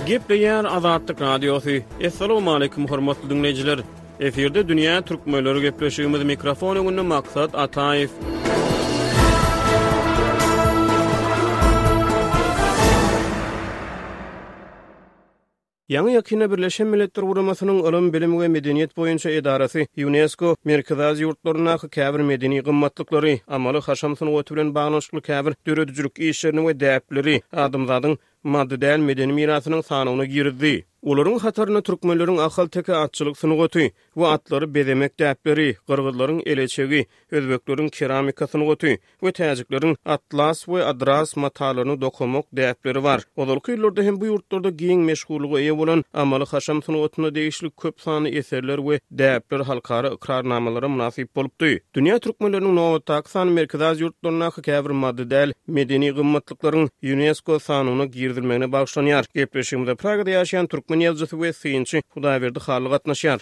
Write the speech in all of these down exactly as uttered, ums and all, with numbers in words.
Gepleýär Azatlyk Radiosy. Assalamualaikum hormatly dinleýjiler. Efirde Dünýä Türkmenleri gepleşigimiz mikrofon öňünde Maksat Ataýew. Ýaňy ýakynda Birleşen Milletler Guramasynyň Ylym, Bilim we Medeniýet boýunça edarasy UNESCO Merkezi Aziýa ýurtlaryndaky käbir medeni gymmatlyklary, amaly haşam sungaty bilen baglanyşykly käbir döredijilik işlerini we däpleri adamzadyň maddy däl medeni mirasynyň sanawyna girizdi. Olaryň hatarynda türkmenleriň Ahalteke atçylyk sungaty we atlary bezemek däpleri, gyrgyzlaryň eleçegi, özbekleriň keramika sungaty we täjikleriň atlas we adras matalaryny dokamak däpleri bar. Ozalky ýyllarda hem bu ýurtlarda giň meşhurlyga eýe bolan amaly haşam sungatyna degişli köp sanly eserler we däpler halkara ykrarnamalara mynasyp bolupdy. Dünýä türkmenleriniň nobatdaky sany Merkezi Aziýa ýurtlaryndaky käbir maddy däl medeni gymmatlyklaryň UNESCO sanawyna girizilmegine bagyşlanýar. Gepleşigimize Pragada ýaşaýan türkmen ýazyjysy we synçy Hudaýberdi Hally gatnaşýar.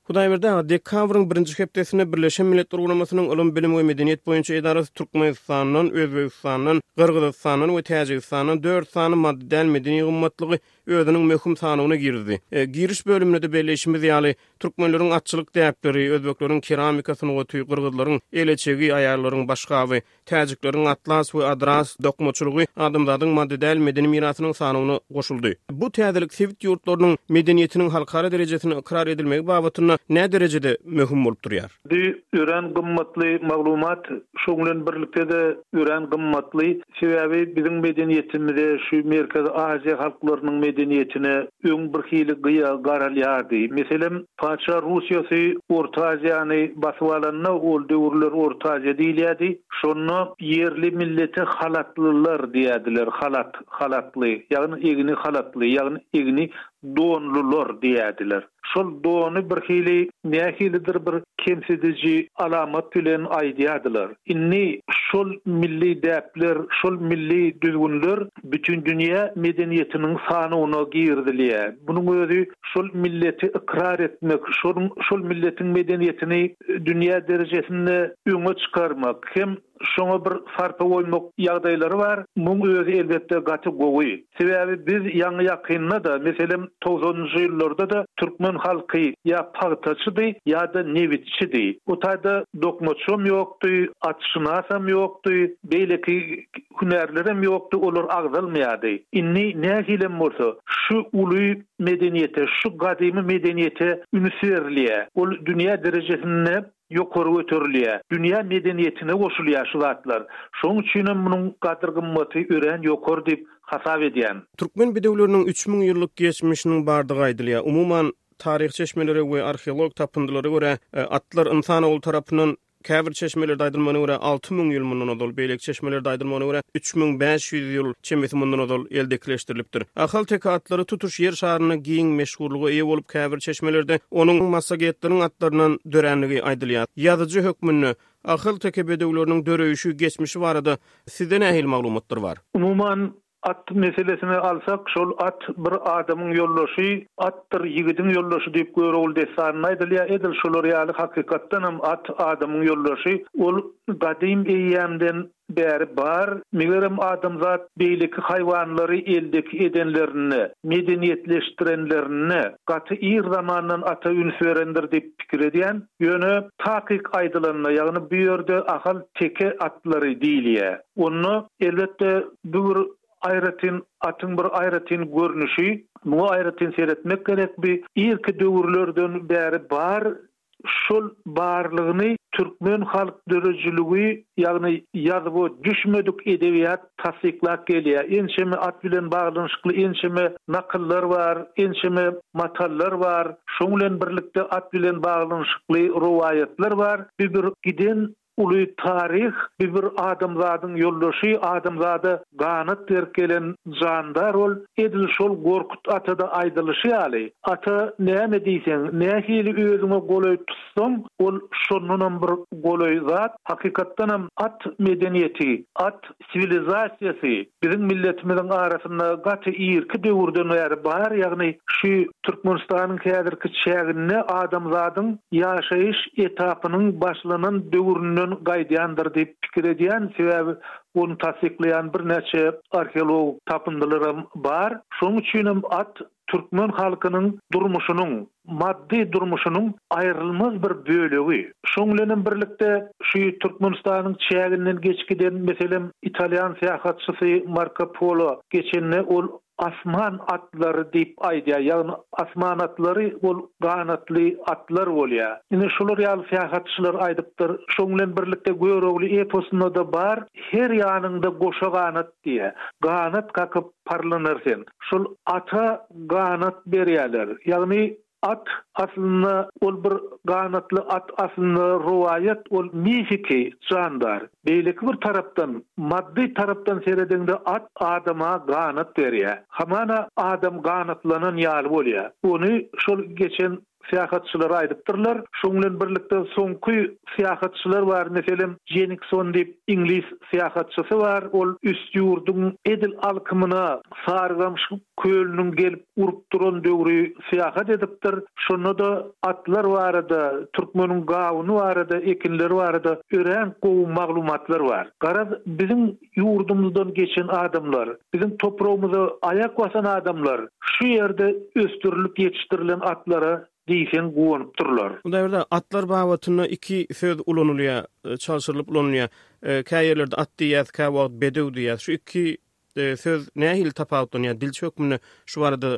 Hudaýberdi aga, dekabryň birinji hepdesinde Birleşen Milletler Guramasynyň Ylym, Bilim we Medeniýet boýunça edarasy Türkmenistandan, Özbegistandan, Gyrgyzystandan we Täjigistandan dört sany maddy däl medeni gymmatlygy özüniň möhüm sanawyna girizdi. E, giriş bölüminde de belleýşimiz ýaly, türkmenleriň atçylyk däpleri, özbekleriň keramika sungaty, gyrgyzlaryň eleçegi, aýallaryň başgaby, täjikleriň atlas we adras dokmaçylygy adamzadyň maddy däl medeni mirasynyň sanawyna goşuldy. Bu täzelik sebit ýurtlarynyň medeniýetiniň halkara derejesini ykrar edilmegi babatynda näme derejede möhüm bolup durýar? Bu örän gymmatly maglumat, şoň bilen birlikde-de örän gymmatly. Sebäbi biziň medeniýetimize, şu Merkezi Aziýa halklarynyň medeniýetine öň bir hili gyýa garalýardy. Meselem, Patyşa Russiýasy Orta Aziýany basyp alanda, ol döwürler Orta Aziýa diýilýärdi. Şonda ýerli millete halatlylar diýerdiler, halat, halatly, ýagny egni halatly, ýagny egni donlular diýerdiler. Şol dony bir hili nähilidir bir kemsidiji alamat bilen aýdýardylar. Indi şol milli däpler, şol milli düzgünler bütün dünýä medeniýetiniň sanawyna girizilýär. Bunuň özi şol milleti ykrar etmek, şol, şol milletiň medeniýetini dünýä derejesinde öňe çykarmak hem şoňa bir sarpa goýmak ýagdaýlary bar. Muň özi elbetde gaty gowy. Sebäbi biz ýaňy ýakynda da, meselem togsanynjy ýyllarda da türkmen halky ýa pagtaçydy ýa-da nebitçidi. O taýda dokmaçam ýokdy, atşynasam ýokdy, beýleki hünärlerem ýokdy, olar agzalmaýardy. Indi nähilem bolsa şu uly medeniýete, şu gadymy medeniýete üns berilýär. Ol dünýä derejesinde ýokary göterilýär. Dünýä medeniýetine goşulýar şu zatlar. Şonuň üçin hem munuň gadyr gymmaty örän ýokary diýip hasap edýän. Türkmen bedewleriniň üç müň ýyllyk geçmişiniň bardygy aýdylýar. Umuman taryh çeşmeleri we arheolog tapyndylara görä, e, atlar insanoğlu tarapyndan käbir çeşmelerde aýdylmagyna görä alty müň ýyl mundan ozal, beýleki çeşmelerde aýdylmagyna görä üç müň bäş ýüz ýyl çemesi mundan ozal eldekileşdirilipdir. Ahalteke atlary tutuş ýer şarynda giň meşhurlyga eýe bolup, käbir çeşmelerde onuň massagetleriň atlaryndan döränligi aýdylýar. Ýazyjy hökmünde Ahalteke bedewleriniň döreýşi, geçmişi barada sizde nähili maglumatlar bar? Umuman at meselesini alsak, şol at bir adamyň ýoldaşy, atdyr ýigidiň ýoldaşy diýip Görogly dessanynda aýdylýar. Edil şolar ýaly hakykatdan hem at adamyň ýoldaşy. Ol gadym eýýämden bäri bar. Megerem adamzat beýleki haýwanlary eldeki edenlerinde, medeniýetleşdirenlerinde gaty ir zamandan ata üns berendir diýip pikir edýän. Ýöne takyk aýdylanda, ýagny bu ýerde ahal teke atlary diýilýär. Onda elbetde bu bir aýratyn atyň bir aýratyn görnüşi, muňa aýratyn seretmek gerek. Bir irki döwürlerden bäri bar. Şol barlygyny türkmen halk döredijiligi, ýagny ýazyp düşmedik edebiýat tassyklap gelýär. Ençeme at bilen baglanyşykly ençeme nakyllar bar, ençeme matallar bar. Şoň bilen birlikde at bilen baglanyşykly rowaýatlar bar. Bir bir giden uly taryh, bir bir adamzadyň ýoldaşy, adamzada ganat berip gelen jandar ol. Edil şol Gorkut atada aýdylyşy ýaly, ata näme diýseň, nähili özüňe golaý tutsaň, tutsaň, ol şondanam bir golaý zat. Hakykatdanam at medeniýeti, at siwilizasiýasy biziň milletimiziň arasynda gaty irki döwürden bäri bar, ýagny şu Türkmenistanyň häzirki çäginde adamzadyň ýaşaýyş etapynyň başlanan döwründen gaýdýandyr diýip pikir edýän, sebäbi ony tassyklaýan birnäçe arheologik tapyndylaram bar. Şonuň üçinem at türkmen halkynyň durmuşynyň, maddy durmuşynyň aýrylmaz bir bölegi. Şoň bilenem birlikde şu Türkmenistanyň çäginden geçip giden, meselem, italýan syýahatçysy Marko Polo geçende ol asman atlary diýip aýdýar, ýagny asman atlary ol ganatly atlar bolýar. Ine şular ýaly syýahatçylar aýdypdyr. Şoň bilen birlikde Görogly eposynda-da bar, her ýanyňda goşa ganat diýýär. Ganat kakyp parlanar sen. Şol ata ganat berýärler. Ýagny at aslynda ol bir ganatly at aslynda rowaýat, ol mifiki jandar. Beýleki bir tarapdan, maddy tarapdan seredeňde at adama ganat berýär. Hamana adam ganatlanan ýaly bolýar. Ony şol geçen syýahatçylar aýdypdyrlar. Şoň bilen birlikde soňky syýahatçylar bar, meselem, Jenikson diýip iňlis syýahatçysy bar, ol Üstýurduň edil alkymyna Sarygamyş kölüniň gelip urup duran döwri syýahat edipdir. Şonda-da atlar barada, türkmeniň gawuny barada, ekinleri barada örän gowy maglumatlar bar. Garaz, biziň ýurdumyzdan geçen adamlar, biziň topragymyza aýak basan adamlar şu ýerde ösdürilip ýetişdirilen atlara diýseň guwanypdyrlar. Hudaýberdi, atlar babatynda iki söz ulanylýar, çalşyrylyp ulanylýar. Kä ýerlerde at diýýäs, käwagt bedew diýýäs. Şu iki söz nähili tapawutlanýar? Dilçi hökmünde şu barada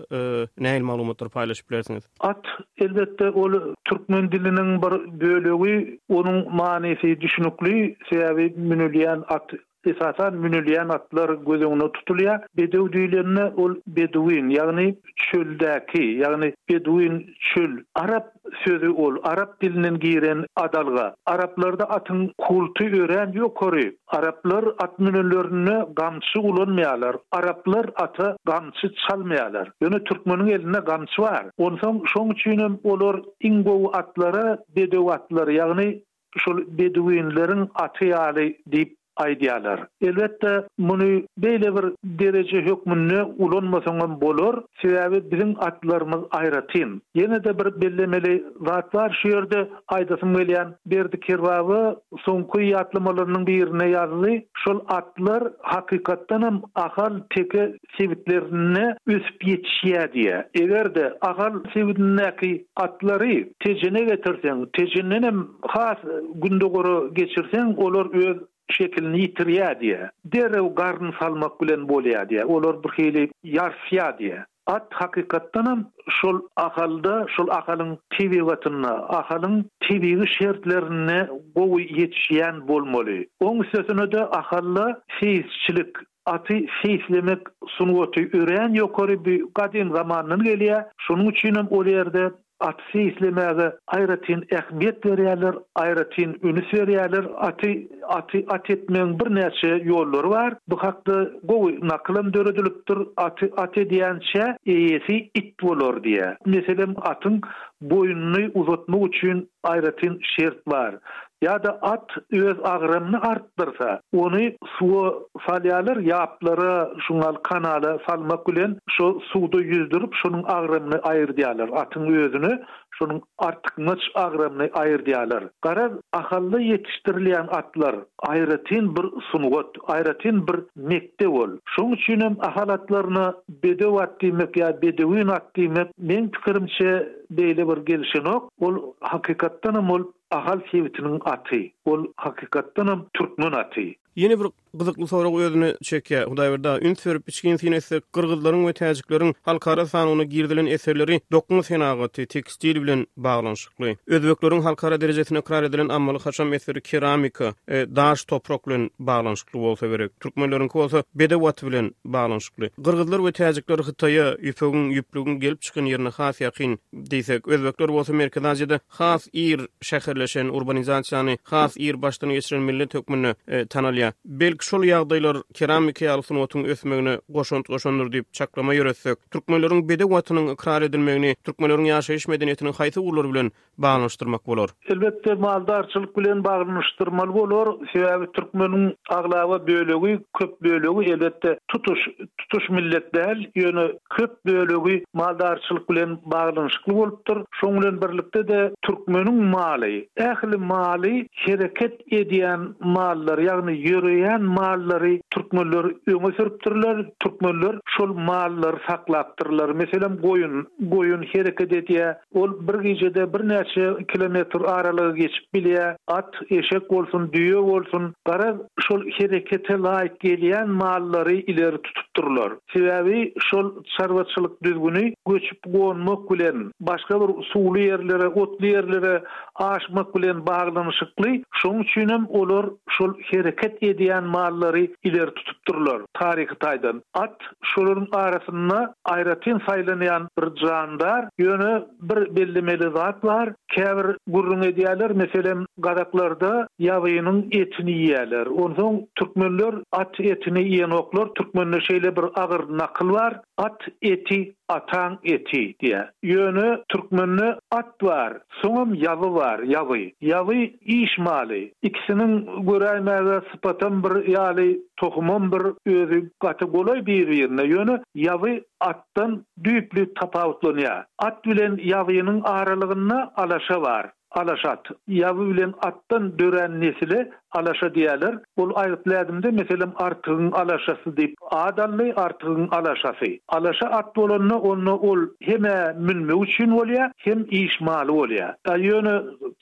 nähili maglumatlary paýlaşyp bilersiňiz? At, elbetde, ol türkmen diliniň bir bölegi, onuň manysy düşnükli, sebäbi münülýän at, esasan münülýän atlar göz öňünde tutulýar. Bedew diýlende ol beduin, ýagny çöldäki, ýagny beduin çöl, arap sözi ol, arap dilinden giren adalga. Araplarda atyň kulty örän ýokary. Araplar at münenlerinde gamçy ulanmaýarlar. Araplar ata gamçy çalmaýarlar. Ýöne türkmeniň elinde gamçy bar. Onsoň şoň üçinem olar iň gowy atlara bedew atlary, ýagny şol beduinleriň aty ýaly diýip aýdýarlar. Elbetde, muny beýle bir dereje hökmünde ulanmasaňam bolar, sebäbi biziň atlarymyz aýratyn. Ýene-de bir bellemeli zat bar şu ýerde aýdasym gelýän, Berdi Kerbaba soňky ýatlamalarynyň birinde ýazdy, şol atlar hakykatdanam Ahal teke sebitlerinde ösüp ýetişýär diýýär. Eger-de Ahal sebitindäki atlary Tejene getirseň, Tejendenem has gündogara geçirseň, olar öz şekilini ýitirýär diýýär. Derrew garyn salmak bilen bolýar diýýär. Olar bir hili ýarsýar diýýär. At hakykatdanam şol Ahalda, şol Ahalyň tebigatynda, Ahalyň tebigy şertlerinde gowy ýetişýän bolmaly. Oň üstesine-de Ahalda seýisçilik, aty seýislemek sungaty örän ýokary, bu gadym zamandan gelýär. Şonuň üçinem ol ýerde aty seýislemäge aýratyn ähmiýet berýärler, aýratyn ünüs berýärler. Aty aty at etmegiň birnäçe ýollary bar. Bu hakda gowy nakylam döredilipdir, Aty at edýänçä eýesi it bolar diýýär. Meselem, atyň boýnuny uzatmak üçin aýratyn şert bar. Ýa-da at öz agramyny artdyrsa, ony suwa salýarlar, ýaplara, şuňal kanala salmak bilen şo suwda ýüzdürip, şonuň agramyny aýyrdýarlar, atyň özüne şonuň artykmaç agramyny aýyrdýarlar. Garaz, Ahalda ýetişdirilýän atlar aýratyn bir sungat, aýratyn bir mekdep ol. Şonuň üçinem Ahal atlaryna bedew at diýmek ýa bedewin at diýmek, meň pikirimçe, beýle bir gelşenok. Ol hakykatdanam ol Ahal sebitiniň aty. Ol hakykatdanam türkmen aty. Ýene bir gyzykly sorag özüne çekýär. Hudaýberdi aga, üns berip içgin syn etsek, gyrgyzlaryň we täjikleriň halkara sanawyna girizilen eserleri dokma senagaty, tekstil bilen baglanyşykly. Özbekleriň halkara derejesinde ykrar edilen amaly-haşam eseri keramika, daş, toprak bilen baglanyşykly bolsa gerek. Türkmenleriňki bolsa bedew aty bilen baglanyşykly. Gyrgyzlar we täjikler Hytaýa, ýüpegiň, ýüplügiň gelip çykan ýerine has ýakyn diýsek, özbekler bolsa Merkezi Aziýada has ir şäherleşen, urbanizasiýany has ir başdan geçiren millet hökmünde tanalýar. edilýär. Belki şol ýagdaýlar keramika ýaly sungatyň ösmegine goşant goşandyr diýip çaklama ýöretsek. Türkmenleriň bedew atynyň ykrar edilmegini türkmenleriň ýaşaýyş medeniýetiniň haýsy ugurlary bilen baglanyşdyrmak bolar? Elbetde maldarçylyk bilen baglanyşdyrmaly bolar. Sebäbi türkmeniň aglaba bölegi, köp bölegi elbetde tutuş tutuş millet däl, ýöne köp bölegi maldarçylyk bilen baglanyşykly bolupdyr. Şoň bilen birlikde de türkmeniň maly, ähli maly hereket edýän mallar, ýagny ýöreýän mallary türkmenler öňe sürüpdirler. Türkmenler şol mallary saklapdyrlar. Meselem goýun, goýun hereket edýär. Ol bir gijede birnäçe kilometr aralygy geçip bilýär. At, eşek bolsun, düýe bolsun, gara şol herekete laýyk gelýän mallary ileri tutupdyrlar. Sebäbi şol çarwaçylyk düzgüni göçüp gonmak bilen başga bir suwly ýerlere, otly ýerlere aşmak bilen baglanyşykly. Şoň üçin hem olar şol hereket edýän mallary ileri tutupdyrlar taryhy taýdan. At şolaryň arasynda aýratyn saýlanýan bir jandar, ýöne bir bellemeli zat bar. Käbir gürrüň edýärler, meselem gazaklarda ýabynyň etini iýerler. Onsoň türkmenler at etini iýenoklar. Türkmende şeýle bir agyr nakyl bar. At eti ataň eti diýe. Ýöne türkmende at bar, soňam ýaby bar, ýaby. Ýaby iş maly. Ikisiniň göräýmäge sypatam bir ýaly, tohumam bir özi gaty golaý bir-birine. Ýöne ýaby atdan düýpli tapawutlanýar. At bilen ýabynyň aralygynda alaşa bar. Alaşat. Ýaby bilen atdan dörän nesile alaşa diýerler. Ol aýgytlädimde meselem artygyň alaşasy diýip ad aldy, artygyň alaşasy. Alaşa at bolanda onda ol heme münmek üçin bolýar, hem iş maly bolýar. Da ýöne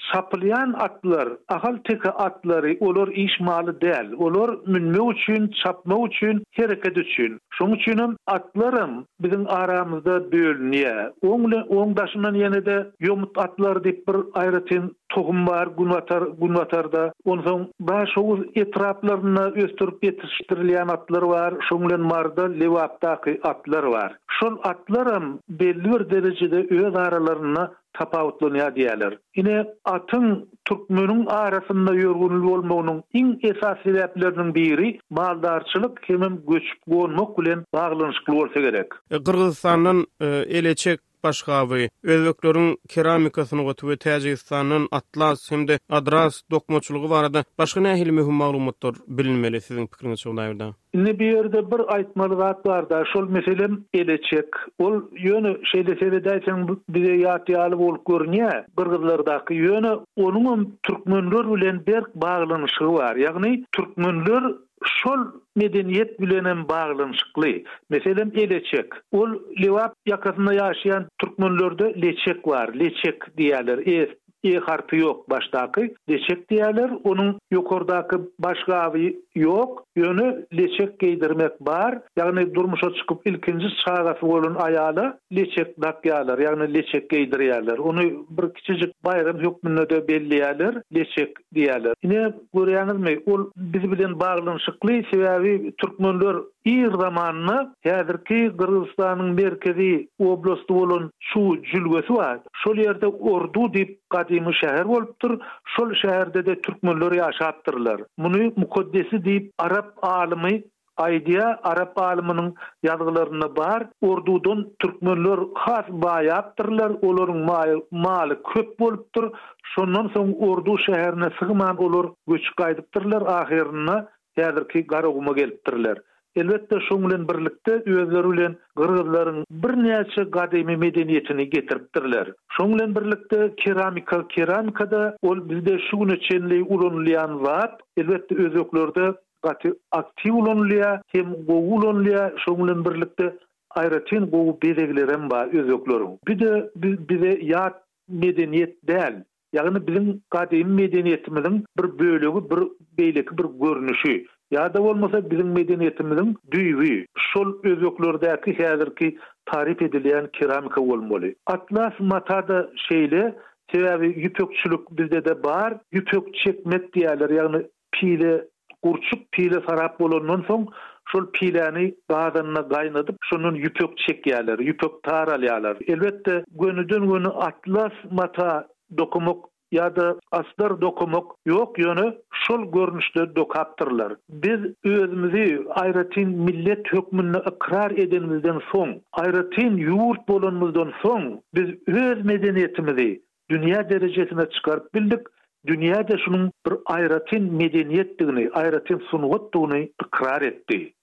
çapylýan atlar, ahal teke atlary olar iş maly däl. Olar münmek üçin, çapmak üçin, hereket üçin. Şoň üçin hem atlaram biziň aramyzda bölünýär. Oň bilen oň daşyndan ýene de ýomut atlar diýip bir aýratyn tohum bar günbatar günbatarda. Onsoň Daşoguz etraplarynda ösdürip ýetişdirilýän atlar bar, şoň bilen Marda, Lewapdaky atlar bar. Şol atlaram belli bir derejede öz aralarynda tapawutlanýar diýerler. Ine atyň türkmeniň arasynda ýörgünli bolmagynyň iň esasy sebäpleriniň biri maldarçylyk hemem göçüp gonmak bilen baglanyşykly bolsa gerek. E, Gyrgyzystandan e, eleçek başgaby, Özbekleriň keramika sungaty we Täjigistandan atlas hem-de adras dokmaçylygy barada başga nähili möhüm maglumatlar bilinmeli siziň pikiriňizçe Hudaýberdi? Indi bir ýerde bir aýtmaly zat bar da, şol meselem eleçek. Ol ýöne şeýle seredäýseň bize ýat ýaly bolup görünýär Gyrgyzlardaky. Ýöne onuň türkmenler bilen berk baglanyşygy bar. Ýagny türkmenler şol medeniýet bilen hem baglanyşykly. Meselem eleçek. Ol Lewap ýakasynda ýaşaýan türkmenlerde leçek bar. Leçek diýerler. E, e harpy ýok başdaky. Leçek diýerler. Onuň ýokardaky başgaby ýok. Ýöne leçek geýdirmek bar. Ýagny durmuşa çykyp ilkinji çagasy bolan aýala leçek dakýarlar. Ýagny leçek geýdirýärler. Ony bir kiçijik baýram hökmünde de belleýärler. Leçek diýerler. Ine görýäňizmi? Ol biz bilen baglanyşykly, sebäbi türkmenler ir zamanynda häzirki Gyrgyzystanyň merkezi oblasty bolan şu jülgesi bar. Şol ýerde Ordu diýip gadymy şäher bolupdyr. Şol şäherde de türkmenler ýaşapdyrlar. Muny mukaddesi diýip Arap alymy aýdýar, Arap alymynyň ýazgylarynda bar. Ordudan türkmenler has baýapdyrlar, olaryň maly köp bolupdyr. Şondan soň Ordu şäherine sygman olar göçüp gaýdypdyrlar, ahyrynda häzirki Garaguma gelipdirler. Elbetde şoň bilen birlikde özleri bilen Gyrgyzlaryň birnäçe gadymy medeniýetini getiripdirler. Şoň bilen birlikde keramika, keramikada ol bizde şu güne çenli ulanylýan zat, elbetde özbeklerde gaty aktiw ulanylýar, hem gowy ulanylýar. Şoň bilen birlikde aýratyn gowy bezeglerem bar özbekleriň. Bir de bize ýat medeniýet däl. Ýagny biziň gadymy medeniýetimiziň bir bölegi, bir beýleki bir görnüşi. Ýa-da bolmasa biziň medeniýetimiziň düýbi şol özbeklerdäki häzirki taryp edilýän keramika bolmaly. Atlas mata-da şeýle, sebäbi ýüpekçilik bizde de bar. Ýüpek çekmek diýerler, ýagny pile gurçuk pile sarap bolandan soň şol piläni gazanna gaýnadyp, şondan ýüpek çekýärler, ýüpek tar alýarlar. Elbetde gönüden göni atlas mata dokumak ýa-da astar dokamak ýok, ýöne şol görnüşde dokapdyrlar. Biz özümizi aýratyn millet hökmünde ykrar edenimizden soň, aýratyn ýurt bolanymyzdan soň biz öz medeniýetimizi dünýä derejesine çykaryp bildik. Dünýä-de şunuň bir aýratyn medeniýetdigini, aýratyn sungatdygyny ykrar etdi.